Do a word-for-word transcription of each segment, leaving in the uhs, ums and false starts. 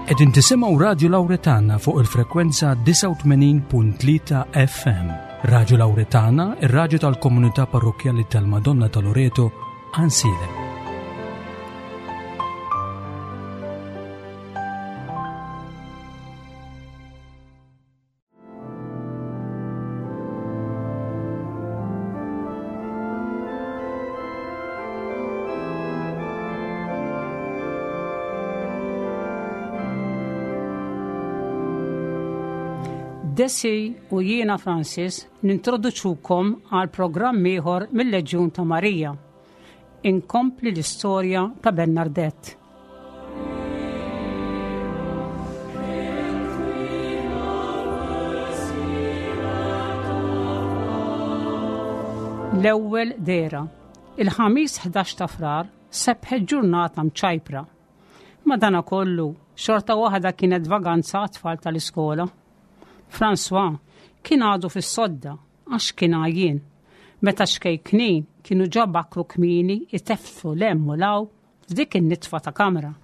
Qegħdin tisimgħu Radio Lauretana fuq il-frekwenza disgħa u tmenin punt tlieta F M. Radio Lauretana, ir-raġu tal-komunità parrokjali tal-Madonna ta' Loreto, Għajnsielem. Desi u jiena Francis nintroduċukom għal programm ieħor mill-Leġjun ta' Marija. Inkompli l-istorja ta' Bernardette. L-ewwel dehra. Il-Ħamis ħdax ta' Frar sebħet ġurnata mċajpra. Madana kollu, xorta waħda kienet vaganza għat-tfal tal-iskola. François kien għadu fis-sodda għax kien għajjien. Meta ċkejknin kienu ġa bakru kmieni iteffu 'l hemm u 'l hawn f'dik in-nitfa ta' kamra.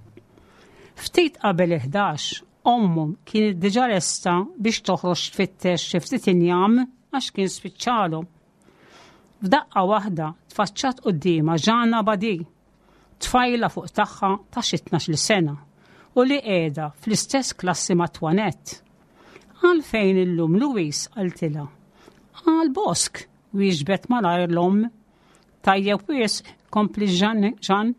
Ftit qabel il-ħdax, ommhom kienet diġà lesta biex toħroġ tfittex xi ftit injam għax kien spiċċalhom. F'daqqa waħda tfaċċat quddiemha Jeanne Abadie, tfajla fuq tagħha ta' xi tnax-il sena u li qiegħda fl-istess klassi ma' Toinette. "Għalfejn illum, Louise?" qaltilha. "Għal bosk," wieġbet malajr l-omm. "Tajjeb wisq," kompliet Jeanne,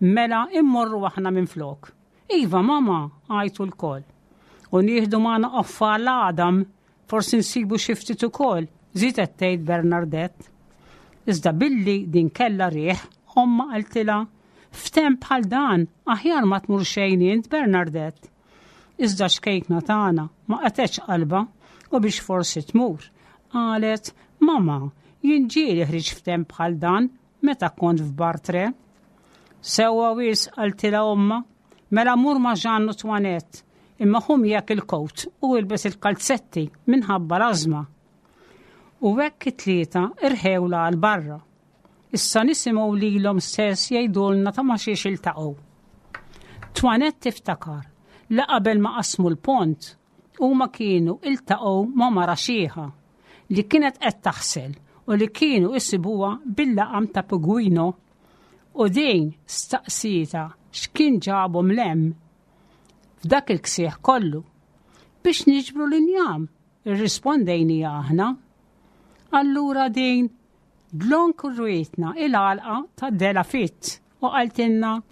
"mela immorru aħna minn flok." "Iva, mama," għajtu lkoll. "U nieħdu magħna qoffa l-għadam, forsi nsibu xi ftit ukoll," żiedet tgħid Bernardette. Iżda billi din kella riħ, omma qaltilha, "F'temp bħal dan, aħjar ma tmur xejn int, Bernardette." Iżda ċ-ċkejkna tagħna ma qatgħetx qalbha u biex forsi tmur. Qalet, "Mama, jien ġieli ħriġt f'temp bħal dan meta kont f'Bartre." "Sewwa wisq," qaltilha omma, "mela mur ma' Jeanne u Toinette, imma ħu miegħek il-kowt u ilbes il-kalzetti minħabba l-ażma." U hekk it-tlieta irħewla għal barra. Issa nisimgħu lilhom stess jgħidulna ta' ma xiex iltaqgħu. Toinette tiftakar li qabel ma qasmu l-pont huma kienu iltaqgħu ma' mara xiħa li kienet qed taħsel u li kienu isibuha bil-laqam ta' Pugwino u din staqsietha x'kien ġabhom 'l hemm f'dak il-ksieħ kollu. "Biex niġbru l-injam," irrispondejna aħna. Allura din dlonk urietna il-għalqa ta' Dela Fit u qaltilna,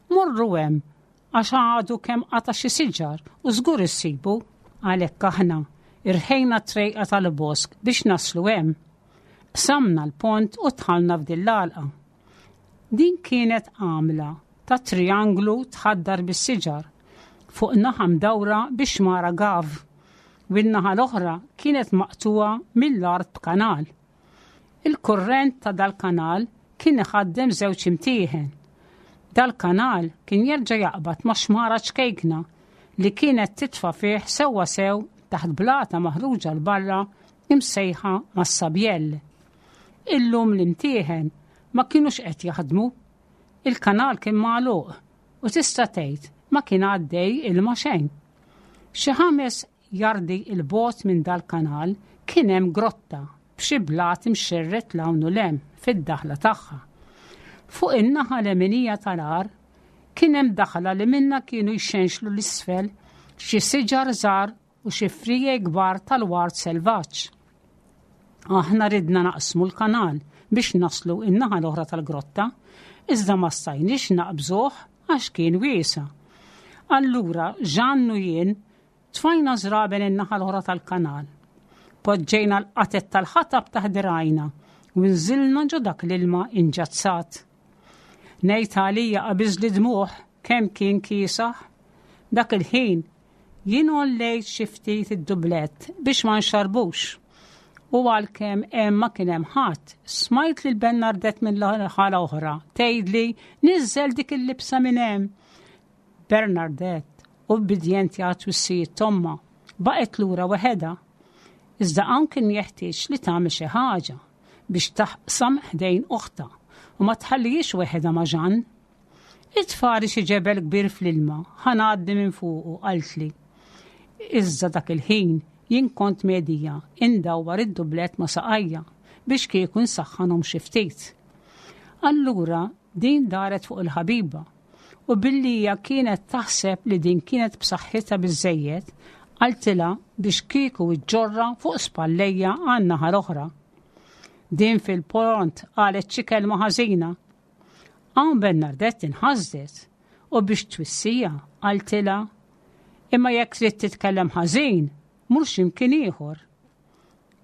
"Morru hemm għax għadu kemm qata' xi siġar u żgur issibu." Għalhekk aħna irħejna trejqa tal-bosk biex naslu hemm. Qsamna l-pont u dħalna f'din l-għalqa. Din kienet għamla ta' trianglu tħaddar bis-siġar fuq naħa mdawra biex mara gav u n-naħa l-oħra kienet maqtuwa mill-art b'kanal. Il-kurrent ta' dal-kanal kien iħaddem żewġ imtieħen. Dal-kanal kien jerġa' jaqbad ma' xmara ċkejkna li kienet titfa' fih sewwa sew taħt blata maħruġa 'l barra imsejħa Massabielle. Illum l-imtieħen ma kienux qed jaħdmu. Il-kanal kien magħluq u tista' tgħid ma kien għaddej ilma xejn. Xi ħames jardi 'l bogħod minn dal-kanal kien hemm grotta b'xi blat imxerred 'l hawn u 'l hemm fid-daħla tagħha. Fuq in-naħa leminija tal-għar kien hemm daħla li minna kienu jxenxlu 'l isfel xi siġar żgħar u xi friegħi kbar tal-ward selvaġġ. Aħna ridna naqsmu l-kanal biex naslu in-naħa l-oħra tal-grotta, iżda ma stajniex naqbżuh għax kien wiesa'. Allura Jeanne u jien tfajna żraben in-naħa l-oħra tal-kanal. Poġġejna l-qatet tal-ħatab taħt dirgħajna u nżilna ġo dak l-ilma inġazzat. Ngħid għalija qabiżli d-dmugħ kemm kien kiesaħ. Dak il-ħin jien għollejt xi ftit id-dublett biex ma nxarbux. U għalkemm hemm ma kien hemm ħadd, smajt lil Bernardette minn ħala oħra tgħidli, "Niżżel dik il-libsa minn hemm." Bernardette, ubbidjenti għat-twissijiet t'ommha, baqgħet lura waħedha. Iżda hawn kien jeħtieġ li tagħmel xi ħaġa biex taqsam ħdejn oħtha u ma tħallihiex waħedha ma' Jeanne. Itfagħli xi ġebel kbir fl-ilma, ħa ngħaddi minn fuqu, qaltli. Iżda dak il-ħin jien kont medija indawwar id-dublett ma' saqajja biex kieku nsaħħanhom xi ftit. Allura din daret fuq il-ħabiba u billi hija kienet taħseb li din kienet b'saħħitha biżejjed, qaltilha biex kieku iġġorra fuq spallejja għan-naħa l-oħra. Din fil-pront qalet xi kelma ħażina. Hawn Bernardette inħasdet u biex twissija qaltilha imma jekk trid titkellem ħażin, mur x'imkien ieħor.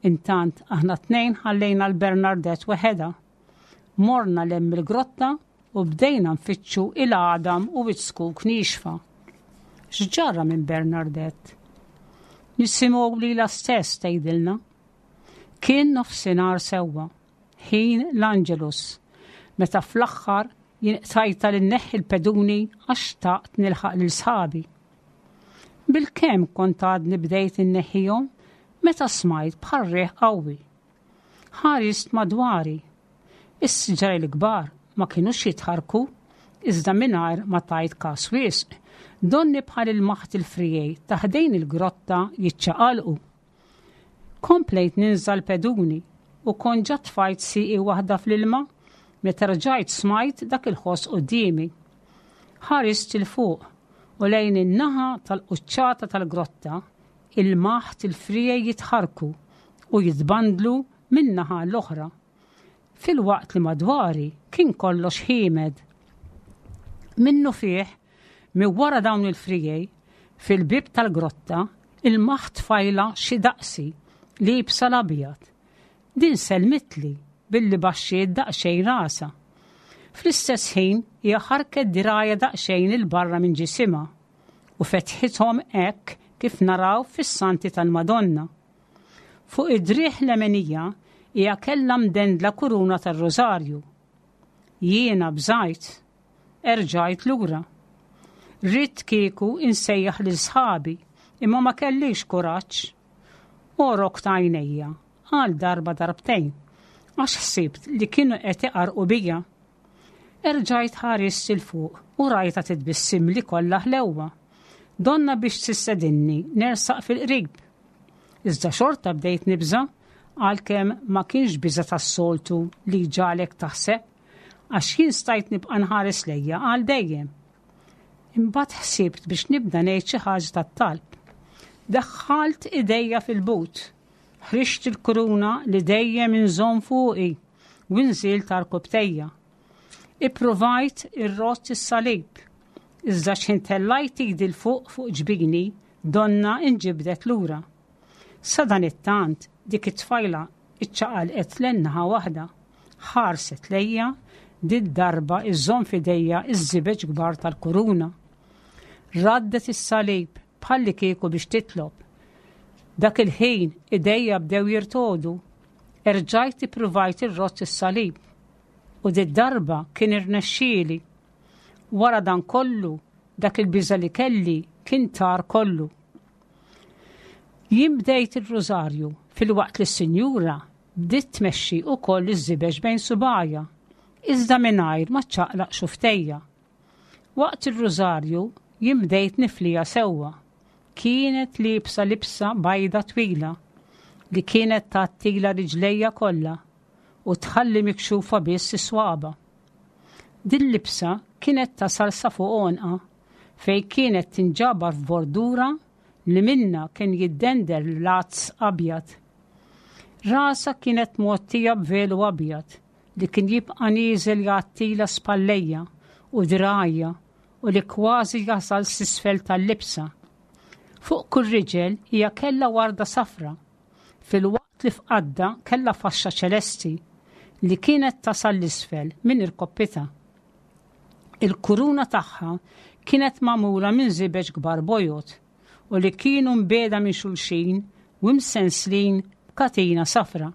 Intant aħna tnejn ħallejna l-Bernardette weħedha. Morna 'l hemm il-grotta u bdejna nfittxu il-għadam u iz-zkuk niexfa. X'ġara minn Bernardette? Nisimgħu lilha stess tgħidilna. Kien nofsinhar sewwa, ħin l-Angelus, meta fl-aħħar jien qtajta li nneħħi l-peduni għax xtaqt nilħaq lil sħabi. Bilkemm kont għadni bdejt inneħħihom meta smajt bħal riħ qawwi. Ħarist madwari. Is-siġar il-kbar ma kinux jitħarku, iżda mingħajr ma tajt kas wisq, donni bħal ilmaħt il-friegħi ta' ħdejn il-grotta jiċċaqalqu. Komplejt ninża l-peduni u kont ġa tfajt sieqi waħda fl-ilma meta rġajt smajt dak il-ħoss quddiemi. Ħarist 'il fuq u lejn in-naħa tal-quċċata tal-grotta ilmaħt il-friegħi jitħarku u jitbandlu minn naħa l-oħra. Filwaqt li madwari kien kollox ħiemed. Minnufih, minn wara dawn il-friegħi, fil-bib tal-grotta, ilmaħt tfajla xi daqsi liebsa l-abjad. Din selmitli billi baxxiet daqsxejn rasha. Fl-istess ħin hija ħarket dirgħajha daqsxejn 'il barra minn ġisimha u fetħithom hekk kif naraw fis-santi tal-Madonna. Fuq id-driegħ leminija hija kellha mdendla kuruna tar-Rożarju. Jiena bżajt, erġajt lura. Ridt kieku insejjaħ lil sħabi, imma ma kellix kuraġġ. Għorokt għajnejja għal darba darbtejn, għax ħsibt li kienu qed iqarqu bija. Erġajt ħarist 'il fuq u rajta titbissimli kollha ħlewwa. Donna biex tistedinni nersaq fil-qrib. Iżda xorta bdejt nibża għalkemm ma kienx biża tas-soltu li ġalek taħseb, għax jien stajt nibqa' nħares lejja għal dejjem. Imbagħad ħsibt biex nibda ngħid xi ħaġa tat-talb. Daħħalt idejja fil-but, ħriġt il-kuruna li dejjem inżomm fuqi u nżilt għarkupptejja. Ippruvajt irrodd is-salib, iżda x'ħin tellajt idi 'l fuq fuq ġbini, donna inġibdet lura. Sadanittant dik it-tfajla iċċaqalqet lejn naħa waħda, ħarset lejja did-darba iżżomm f'idejha iż-żibeġ kbar tal-kuruna. Raddet is-salib bħalli kieku biex titlob. Dak il-ħin idejja bdew jirtogħdu, erġajt ippruvajt irrodd is-salib. U did-darba kien irnexxieli. Wara dan kollu, dak il-biża li kelli kien tar kollu. Jien bdejt il-rożarju filwaqt li s-sinjura bdiet tmexxi wkoll iż-żibeġ bejn subgħajha, iżda mingħajr ma ċċaqlaq xufftejja. Waqt il-rożarju jien bdejt nifliha sewwa. Kienet liebsa libsa bajda twila li kienet tgħattilha riġlejha kollha u tħalli mikxufa biss is-swaba. Din libsa kienet tasal sa fuq għonqha fej kienet tinġabar f'bordura li minna kien jiddendel lazz abjad. Rasha kienet mgħottija b'velu abjad li kien jibqa' nieżel jgħattilha spallejha u dirgħajha u li kważi jasal s'isfel tal-libsa. Fuq kull riġel hija kellha warda safra, filwaqt li f'qaddha kellha faxxa ċelesti li kienet tasal 'l isfel minn irkoppitha. Il-kuruna tagħha kienet magħmula minn żibeġ kbar bojod u li kienu mbiegħda minn xulxin u msenslin b'katina safra.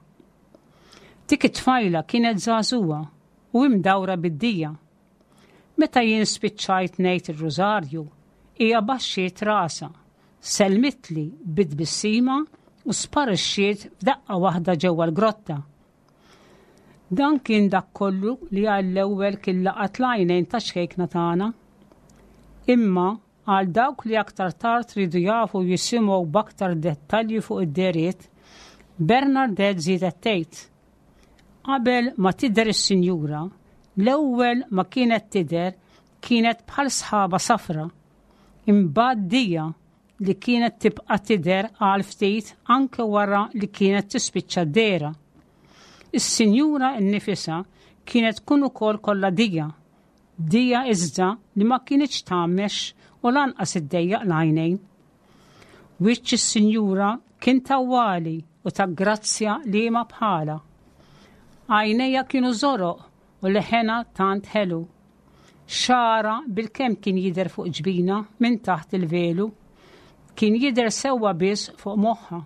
Dik it-tfajla kienet żagħżugħa u imdawra bid-dija. Meta jien spiċċajt ngħid ir-rużarju, hija baxxiet rasha, selmitli bit-tbissima u sparixxiet f'daqqa waħda ġewwa l-grotta. Dan kien dak kollu li għall-ewwel kien laqat l-għajnejn ta' ċkejkna tagħna. Imma għal dawk li aktar tard ridu jafu jisimgħu b'aktar dettalji fuq id-dehriet, Bernadette żiedet tgħid. Qabel ma tidher is-sinjura, l-ewwel ma kienet tidher kienet bħal sħaba safra. Imbagħad dija li kienet tibqa' tidher għal ftit anke wara li kienet tispiċċa d-dehra. Is-sinjura nnifisha kienet tkun ukoll kollha dija. Dija iżda li ma kinitx tgħammex u lanqas iddejjaq l-għajnejn. Wiċċ is-sinjura kien tawwali u ta' grazzja li ma bħala. Għajnejha kienu żoroq u leħenha tant ħelu. Xagħarha bilkemm kien jidher fuq ġbinha minn taħt il-velu, kien jidher sewwa biss fuq moħħha.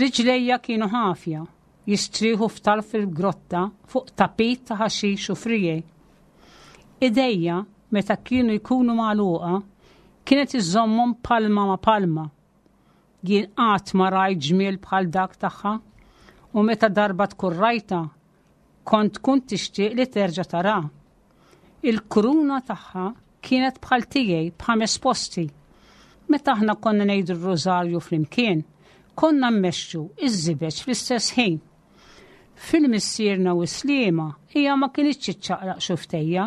Riġlejha kienu ħafja, jistrieħu f'tarf il-grotta fuq tapit ta' ħaxix u friegħi. Idejha, meta kienu jkunu magħluqa, kienet iżommhom palma ma' palma. Jien qatt ma rajt ġmiel bħal dak tagħha u meta darba tkun rajta, kont tkun tixtieq li terġa' tara. Il-kuruna tagħha kienet bħal tiegħi b'ħames posti. Meta aħna konna ngħidu r-rożarju flimkien, konna mmexxu iż-żibeġ fl-istess ħin. Fil-missierna u Sliema hija ma kinitx iċċaqlaq xufftejha,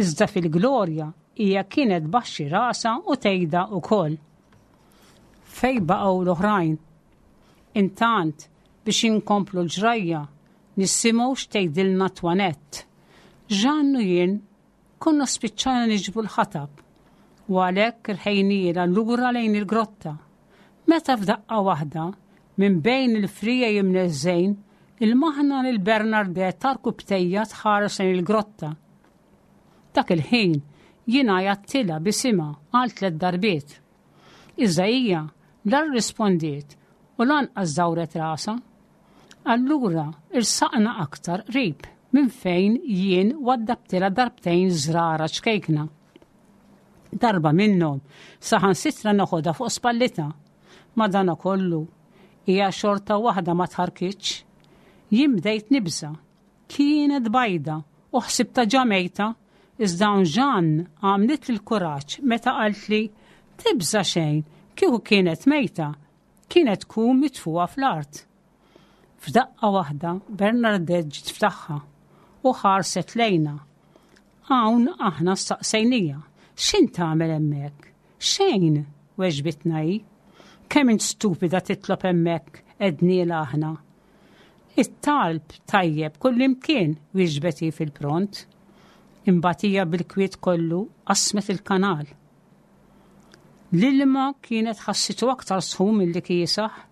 iżda fil-glorja hija kienet tbaxxi rasha u tgħidha wkoll. Fej baqgħu l-oħrajn? Intant biex inkomplu l-ġrajja nisimgħu x'tgħidilna Twanett. Jeanne u jien konna spiċċajna niġbru l-ħatab u għalhekk irħejnielha lura lejn il-grotta. Meta f'daqqa waħda, minn bejn il-friegħi imneżżgħin, ilmaħna lil Bernadette għarkupptejha tħares lejn il-grotta. Dak il-ħin jien għajjattilha b'isimha għal tliet darbiet. Iżda hija la rrispondiet u lanqas dawret rasha. Allura irsaqna aktar qrib minn fejn jien waddabtilha darbtejn żrara ċkejkna. Darba minnhom saħansitra noħodha fuq spallitha. Madana kollu hija xorta waħda ma tħarkitx. Jien bdejt nibża. Kienet bajda u ħsibtha ġa mejta, iżda Jeanne għamlitli l-kuraġġ meta qaltli tibża xejn kieku kienet mejta, kienet tkun mitfuha fl-art. F'daqqa waħda Bernadette ġiet f'tagħha u ħarset lejna. Hawn aħna staqsejnieha, x'int tagħmel hemmhekk? Xejn, weġbitna hi. Kemm int stupida titlob hemmhekk, għednielha aħna. It-talb tajjeb kullimkien, wieġbet hi fil-pront. Imbagħad hija bil-kwiet kollu qasmet il-kanal. L-ilma kienet ħassitu aktar sħun milli kiesaħ.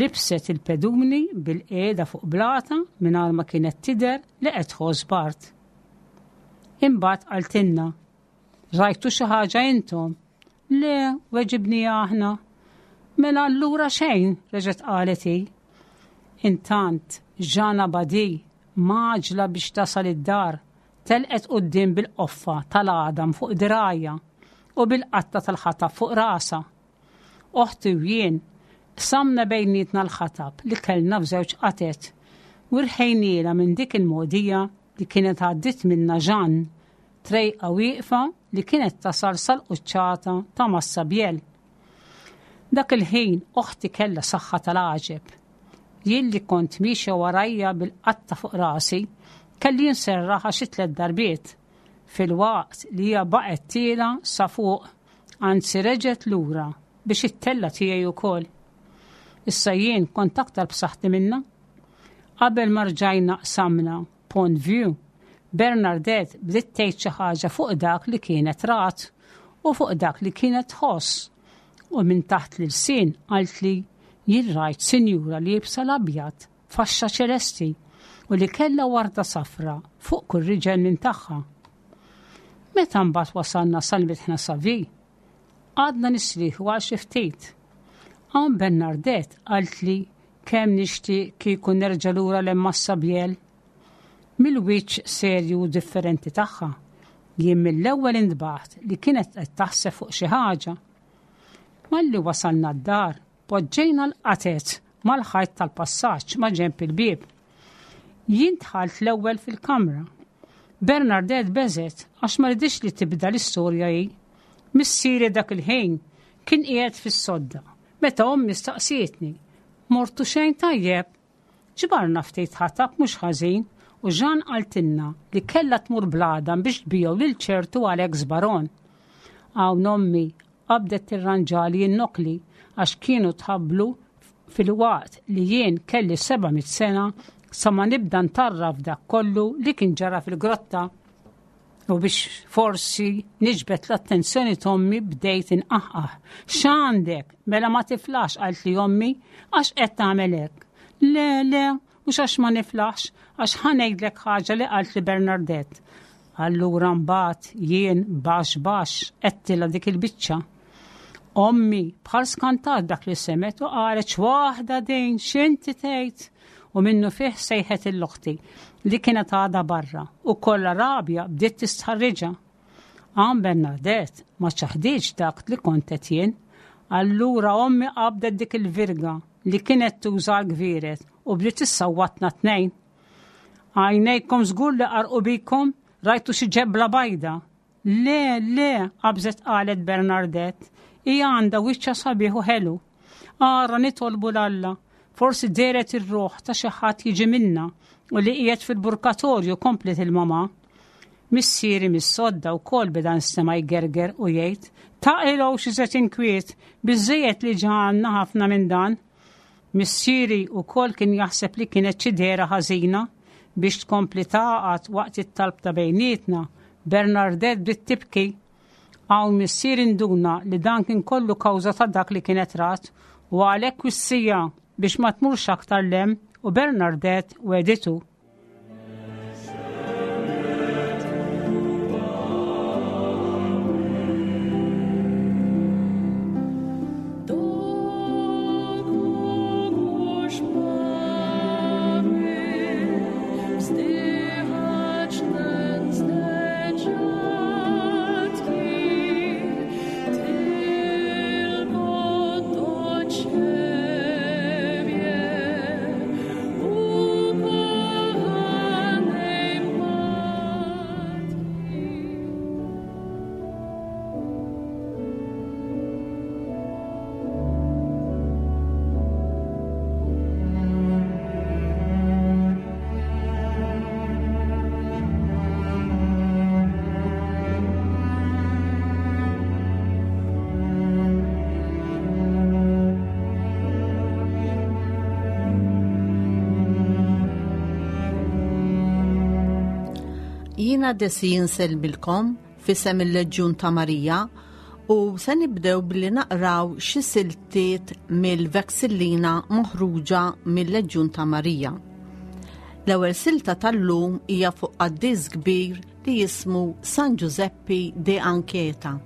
Libset il-peduni bilqiegħda fuq blata mingħajr ma kienet tidher li qed tħoss bard. Imbagħad qaltilna, rajtu xi ħaġa intom? Le, weġibnieha aħna. Mela allura xejn, reġgħet qalet hi. Intant, Jeanne Abadie, mgħaġġla biex tasal id-dar, telqet quddiem bil-qoffa tal-għadam fuq dirgħajha u bil-qatta tal-ħatab fuq rasha. Oħti u jien qsamna bejnietna l-ħatab li kellna f'żewġ qatet u rħejnielha minn dik il-mogħdija li kienet għaddit minna Jeanne, trejqa wieqfa li kienet tasal sal-quċċata ta' Massabielle. Dak il-ħin oħti kellha saħħa tal-għaġeb. Jien li kont miexja warajha bil-qatta fuq rasi, kelli nserraħha xi tliet darbiet, filwaqt li hija baqgħet tielgħa sa fuq, anzi reġgħet lura biex ittella' tiegħi wkoll. Issa jien kont aktar b'saħħti minna. Qabel ma rġajna qsamna Pont Vieux, Bernadette bdiet tgħid xi ħaġa fuq dak li kienet rat u fuq dak li kienet tħoss. U minn taħt l-ilsien qaltli jien rajt sinjura liebsa l-abjad, faxxa ċelesti u li kellha warda safra fuq kull riġel minn tagħha. Meta mbagħad wasalna sal-mitħna Savi, qgħadna nistrieħu għal xi ftit. Hawn Bernadette qaltli kemm nixtieq kieku nerġa' lura lejn Massabielle. Mill-wiċċ serju differenti tagħha, jien mill-ewwel intbaħt li kienet qed taħseb fuq xi ħaġa. Malli wasalna d-dar, poġġejna l-qatet mal-ħajt tal-passaġġ ma' ġenb il-bieb. Jien dħalt l-ewwel fil-kamra. Bernadette beżgħet għax ma riditx li tibda l-istorja hi. Missieri dak il-ħin kien qiegħed fis-sodda. Meta ommi staqsietni, mortu xejn tajjeb. Ġbarna ftit ħatab mhux ħażin u Jeanne qaltilna li kellha tmur bl-għadam biex tbigħu lil ċertu Alex Baron. Hawn ommi qabdet tirranġali n-nokli għax kienu tħabblu fil-waqt li jien kelli seba' mitt sena sa ma nibda ntarraf dak kollu li kien ġara fil-grotta. U biex forsi niġbed l-attenzjoni t'ommi bdejt inqaħqaħ. X'għandek? Mela ma tiflax, qalt li ommi, għax qed tagħmel hekk. Le, le, mhux għax ma niflaħx, għax ħa ngħidlek ħaġa li qalt li Bernadette. Allura mbagħad jien baxx baxx għedtilha dik il-biċċa. Ommi bħal skantat dak li semet u qalet x'waħda din, x'inti tgħid? U minnu fih sejħet l-oħti li kienet għadha barra u kollha rabja bdiet tistħarriġha. Hawn Bernadette ma ċaħdiġ dak li kont qed jien. Allura ommi qabdet dik il-virga li kienet tuża l-gvieret u bdiet issawwatna tnejn. Għajnejkom żgur li qarqu bikom, rajtu xi ġebla bajda. Le, le, qabżet qalet Bernadette, hija għandha wiċċa sabiħ u ħelu. Ara nitolbu l-Alla, forsi dehret ir-ruħ ta' xi ħadd jiġi minna u li qiegħed fil-purgatorju, komplet il-mama. Missieri mis-sodda wkoll beda nstema' jgerger u jgħid, taqilgħu xi żed inkwiet, biżejjed li ġanna ħafna minn dan. Missieri wkoll kien jaħseb li kienet xi dehra ħażina biex tkompli taqgħad waqt it-talb ta' bejnietna. Bernadette bdiet tibki. Hawn missieri nduna li dan kien kollu kawża ta' dak li kienet rat u għalhekk wissija biex ma tmurx aktar lem u Bernadette weditu. Do kogoś mamy wzdychać nędzne dziadki, tylko do Ciebie, ukochanej Matki. Jiena Desi insellmilkom f'isem il-Leġjun ta' Marija u se nibdew billi naqraw xi siltiet mill-Vexillina moħruġa mill-Leġjun ta' Marija. L-ewwel silta tal-lum hija fuq qaddis kbir li jismu San Giuseppe de Anchieta.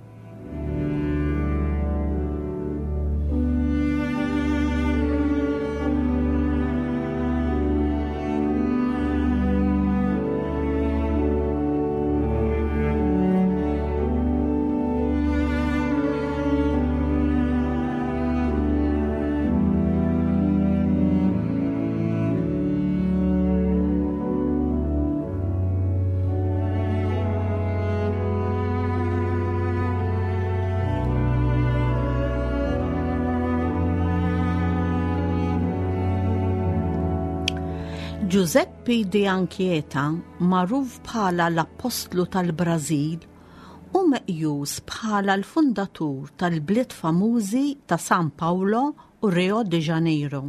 Giuseppe de Anchieta, magħruf bħala l-Apostlu tal-Brażil, u meqjus bħala l-fundatur tal-bliet famużi ta' San Paolo u Rio de Janeiro.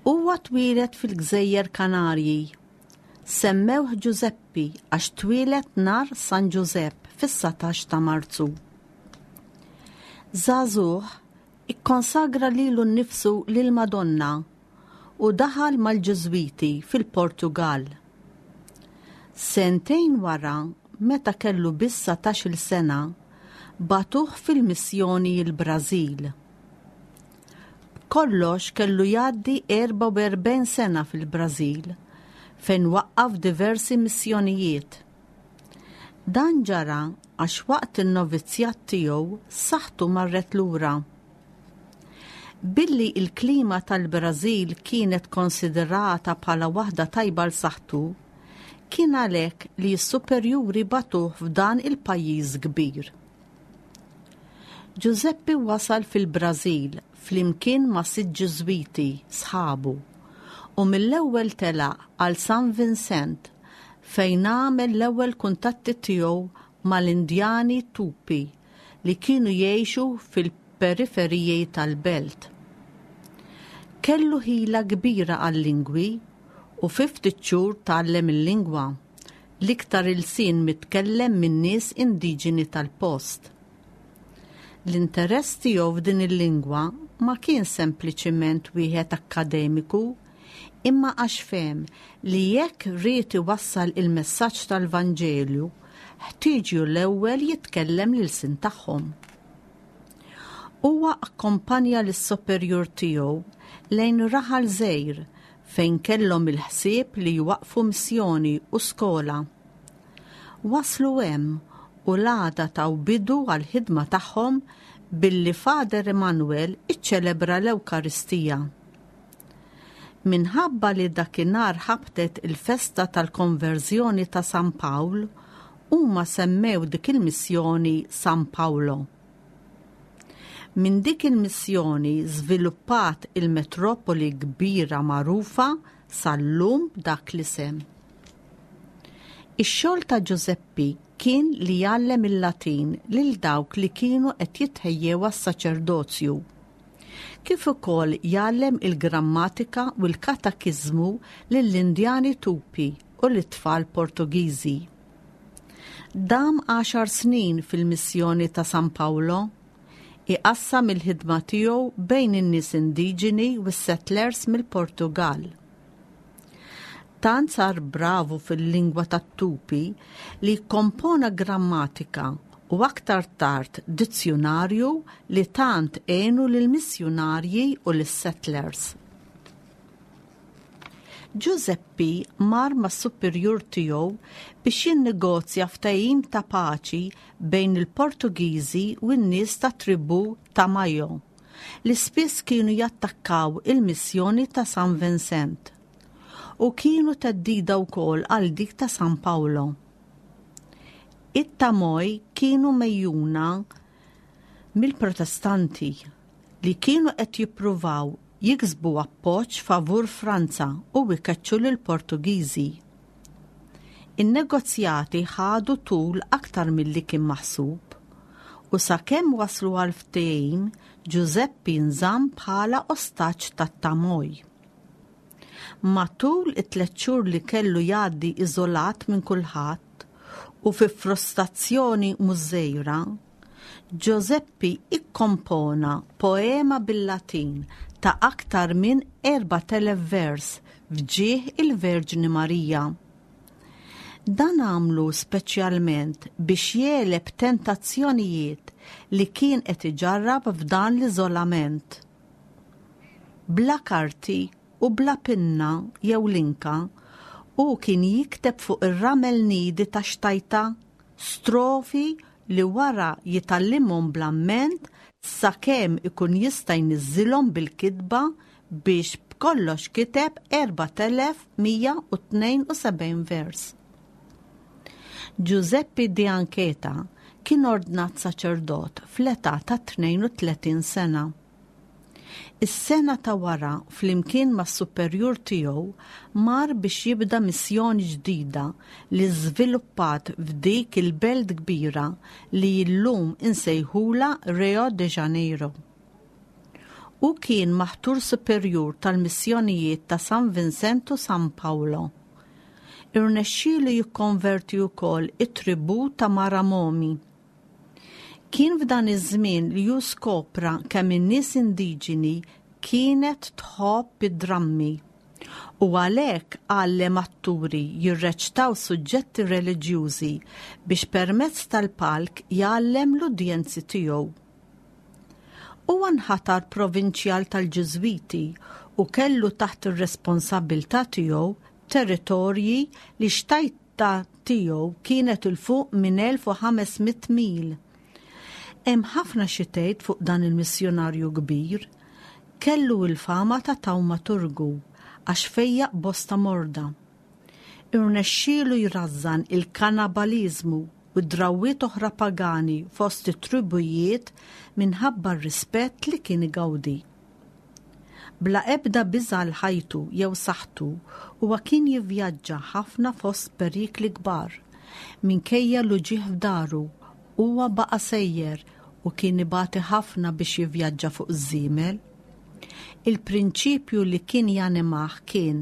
Huwa twieled fil-Gżejjer Kanarji. Semmewh Giuseppe għax twieled nhar San Giuseppe fis-satax ta' Marzu. Żagħżugħ ikkonsagra lilu nnifsu lil Madonna u daħal mal-Ġiżwiti fil-Portugal. Sentejn wara, meta kellu biss satax-il sena, batuh fil-missjoni l-Brażil. B'kollox kellu jgħaddi erba' u erbgħin sena fil-Brażil, fejn waqqaf diversi missjonijiet. Dan ġara għax waqt in-novizzjat tiegħu saħħtu marret lura. Billi il-klima tal-Brażil kienet konsiderata bħala waħda tajba l saħħtu, kien għalhekk li s-superjuri bagħtuh f'dan il-pajjiż kbir. Giuseppe wasal fil-Brażil flimkien ma' sitt Ġiżwiti sħabu u mill-ewwel telaq għal San Vincent, fejn għamel l-ewwel kuntatti tiegħu mal-Indjani Tupi li kienu jgħixu fil-periferiji tal-belt. Kellu ħila kbira għal-lingwi u fi ftit xhur tgħallem il-lingwa, l-iktar ilsien mitkellem minn nies indiġeni tal-post. L-interess tiegħu f'din il-lingwa ma kien sempliċiment wieħed akkademiku, imma għax fehem li jekk ried iwassal il-messaġġ tal-Vanġelju, ħtieġu l-ewwel jitkellem l-ilsien tagħhom. Huwa akkompanja lis-superjur tiegħu lejn raħal żgħir fejn kellhom il-ħsieb li jwaqfu missjoni u skola. Waslu hemm u l-għada taw bidu għal-ħidma tagħhom billi Father Emanuel iċċelebra l-Ewkaristija. Minħabba li dakinhar ħabtet il-festa tal-konverżjoni ta' San Pawl, huma semmew dik il-missjoni San Paolo. Minn dik il-missjoni żviluppat il-metropoli kbira magħrufa sal-lum dak l-isem. Ix-xogħol ta' Giuseppi kien li jgħallem il-Latin lil dawk li kienu qed jitħejjew għas-saċerdozju, kif ukoll jgħallem il-grammatika u l-katekiżmu lill-Indjani Tupi u l-tfal Portugiżi. Dam għaxar snin fil-missjoni ta' San Paolo, iqassam il-ħidma tiegħu bejn in-nies indiġeni u s-settlers mill-Portugal. Tant sar bravu fil-lingwa tat-Tupi li kompona grammatika u aktar tard dizzjonarju li tant għenu lill-missjunarji u lis-settlers. Giuseppi mar mas-superjur tiegħu biex jinnegozja ftehim ta' paċi bejn il-Portugiżi u n-nies ta' tribù Tamoio, li spiss kienu jattakkaw il-missjoni ta' San Vincent u kienu theddida wkoll għal dik ta' San Paolo. It-Tamoj kienu megħjuna mill-Protestanti li kienu qed jippruvaw jiksbu appoġġ favur Franza u jkeċċu lill-Portugiżi. In-negozjati ħadu tul aktar milli kien maħsub u sakemm waslu għal ftehim, Giuseppi nżamm bħala ostaġġ tat-Tamoj. Matul it-tliet xhur li kellu jgħaddi iżolat minn kulħadd u fi frustrazzjoni mhux żgħira, Giuseppi ikkompona poema bil-Latin ta' aktar minn erbat elef vers f'ġieħ il-Verġni Marija. Dan għamlu speċjalment biex jegħleb tentazzjonijiet li kien qed iġarrab f'dan l-iżolament. Bla karti u bla pinna jew linka, u kien jikteb fuq ir-ramel niedi ta' xtajta strofi li wara jitgħallimhom bl-amment sakemm ikun jista' jniżżilhom bil-kitba, biex b'kollox kiteb erbat elef mija u tnejn u sebgħin vers. Giuseppe di Ancheta kien ordnat saċerdot fl-età ta' tnejn u tletin sena. Is-sena ta' wara, flimkien mas superjur tiegħu, mar biex jibda missjoni ġdida li żviluppat f'dik il-belt kbira li llum insejħula Rio de Janeiro. U kien maħtur superjur tal-missjonijiet ta' San Vincent u San Paolo. Irnexxielu jikkonverti wkoll it-tribù ta' Maramomi. Kien f'dan iż-żmien li hu skopra kemm in-nies indiġeni kienet tħobb id-drammi u għalhekk għallem atturi jirreċtaw suġġetti reliġjużi biex permezz tal-palk jgħallem l-udjenzi tiegħu. Huwa nħatar provinċjal tal-Ġiżwiti u kellu taħt ir-responsabbiltà tiegħu territorji li xtajta tiegħu kienet 'il fuq minn elf u ħames mitt mil. Hemm ħafna xi tgħid fuq dan il-missjonarju kbir. Kellu l-fama ta' tawmaturgu għax fejjaq bosta morda. Irnexxielu jrażżan il-kannibaliżmu u drawwiet oħra pagani fost it-tribujiet minħabba r-rispett li kien igawdi. Bla ebda biża' għal ħajtu jew saħħtu huwa kien jivvjaġġa ħafna fost perikli kbar. Minkejja l-uġigħ f'dahru, huwa baqa' sejjer u kien ibati ħafna biex jivvjaġġa fuq iż-żiemel. Il-prinċipju li kien janimah kien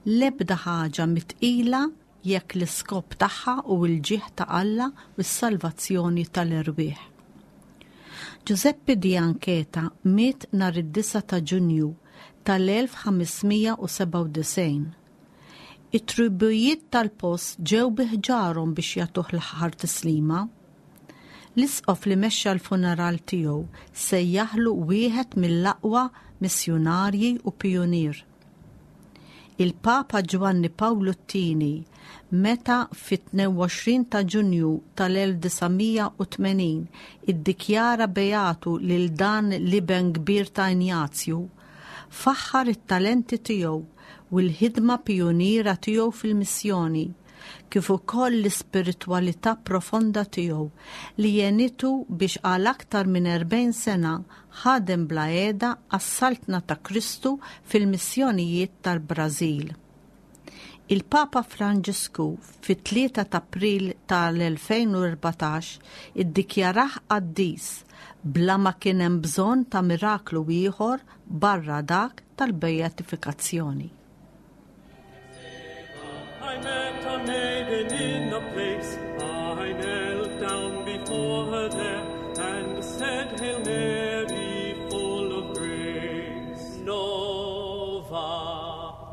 l-ebda ħaġa mhi tqila jekk l-iskop tagħha hu l-ġieħ ta' Alla u s-salvazzjoni tal-erwieħ. Giuseppe di Ancheta miet nhar id-disgħa ta' Ġunju tal-elf ħames mija u sebgħa u disgħin. It-tribujiet tal-post ġew bi ħġarhom biex jagħtuh l-aħħar tislima. L-isqof li mexxa l-funeral tiegħu sejjaħlu wieħed mill-aqwa missjunarji u pijunier. Il-Papa Ġwanni Pawlu t-Tieni, meta fit-tnejn u għoxrin ta' Ġunju tal-elf disa' mija u tmenin iddikjara beatu lil dan l-iben kbir ta' Injazju, faħħar it-talenti tiegħu u l-ħidma pijuniera tiegħu fil-missjoni, kif ukoll l-ispiritwalità profonda tiegħu li għenitu biex għal aktar minn erbgħin sena ħadem bla heda għas-saltna ta' Kristu fil-missjonijiet tal-Brażil. Il-Papa Franġisku fit-tlieta ta' April tal-elfejn u erbatax iddikjarah qaddis bla ma kien hemm bżonn ta' miraklu ieħor barra dak tal-beatifikazzjoni. I met a maiden in a place. I knelt down before her there and said, "Hail Mary, full of grace." Nova,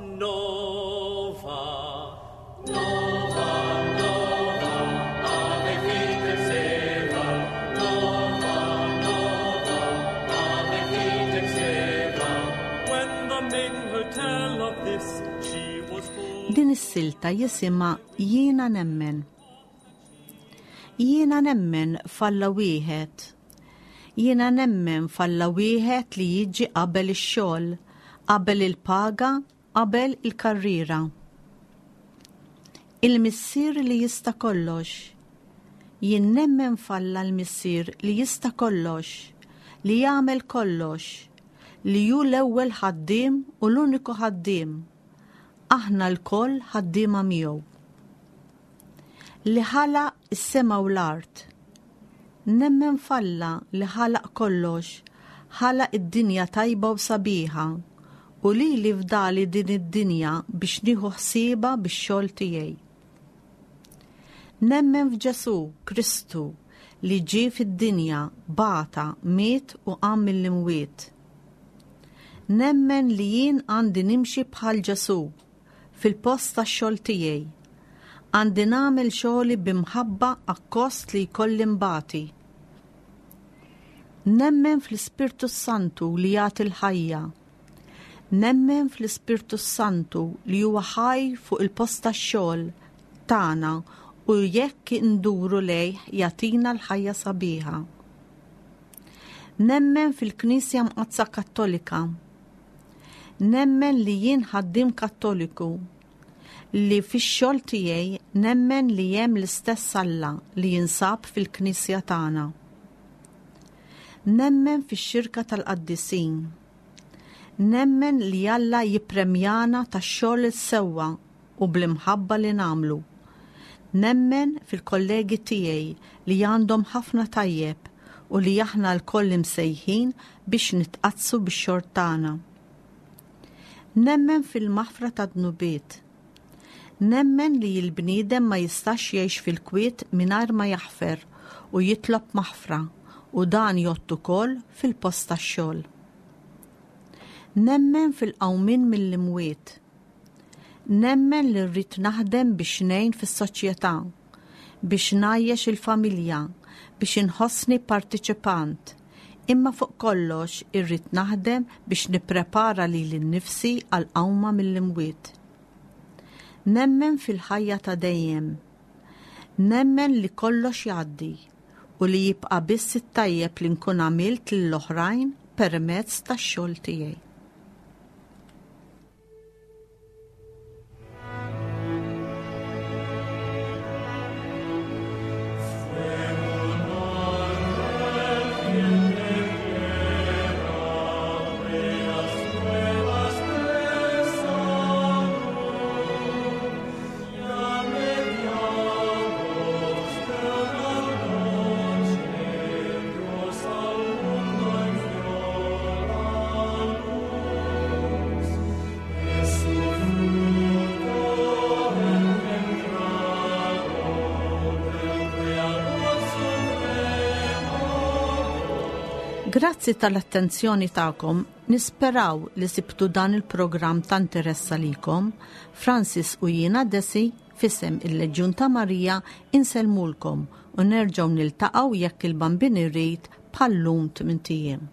Nova, Nova, Nova, Ave Fidex Eva. Nova, Nova, Ave Fidex Eva. When the maiden heard tell of this, she was full. Din is-silta jisimha "Jiena Nemmen". Jiena nemmen f'Alla wieħed. Jiena nemmen f'Alla wieħed li jiġi qabel ix-xogħol, qabel il-paga, qabel il-karriera. Il-Missier li jista' kollox. Jien nemmen f'Alla l-Missier li jista' kollox, li jagħmel kollox, li hu l-ewwel ħaddiem u l-uniku ħaddiem. Aħna lkoll ħaddiema miegħu. Li ħalaq is-sema u l-art. Nemmen f'Alla li ħalaq kollox, ħalaq id-dinja tajba u sabiħa, u li li fdali din id-dinja biex nieħu ħsiebha bix-xogħol tiegħi. Nemmen f'Ġesu Kristu li ġie fid-dinja, bata, miet u qam mill-imwiet. Nemmen li jien għandi nimxi bħal Ġesu fil-post tax-xogħol tiegħi. Għandi nagħmel xogħli b'imħabba akkost li jkolli nbati. Nemmen fl-Ispirtu Santu li jagħti l-ħajja. Nemmen fl-Ispirtu Santu li huwa ħaj fuq il-post tax-xogħol tagħna u jekk induru lejh jagħtina l-ħajja sabiħa. Nemmen fil-Knisja Mqaddsa Kattolika. Nemmen li jien ħaddiem Kattoliku li fix-xogħol tiegħi nemmen li hemm l-istess Alla li jinsab fil-Knisja tagħna. Nemmen fix-xirka tal-qaddisin. Nemmen li Alla jippremjana tax-xogħol is-sewwa u bl-imħabba li nagħmlu. Nemmen fil-kollegi tiegħi li għandhom ħafna tajjeb u li aħna lkoll imsejħin biex nitqaddsu bix-xogħol tagħna. Nemmen fil-maħfra ta' dnubiet. Nemmen li l-bniedem ma jistax jgħix fil-kwiet mingħajr ma jaħfer u jitlob maħfra, u dan jgħodd ukoll fil-post tax-xogħol. Nemmen fil-qawmien mill-imwiet. Nemmen li rrid naħdem biex ngħin fis-soċjetà, biex ngħajjex il-familja, biex inħossni partiċipant. Imma fuq kollox irrid naħdem biex nipprepara lili nnifsi għal qawma mill-imwiet. Nemmen fil-ħajja ta' dejjem. Nemmen li kollox jgħaddi u li jibqa' biss it-tajjeb li nkun għamilt lill-oħrajn permezz tax-xogħol tiegħi. Grazzi tal-attenzjoni tagħkom, nisperaw li sibtu dan il-programm ta' interess għalikom. Francis u jiena Desi f'isem il-Leġjun ta' Marija insellmulkom u nerġgħu niltaqgħu jekk il-Bambin irid bħal-lum tmint ijiem.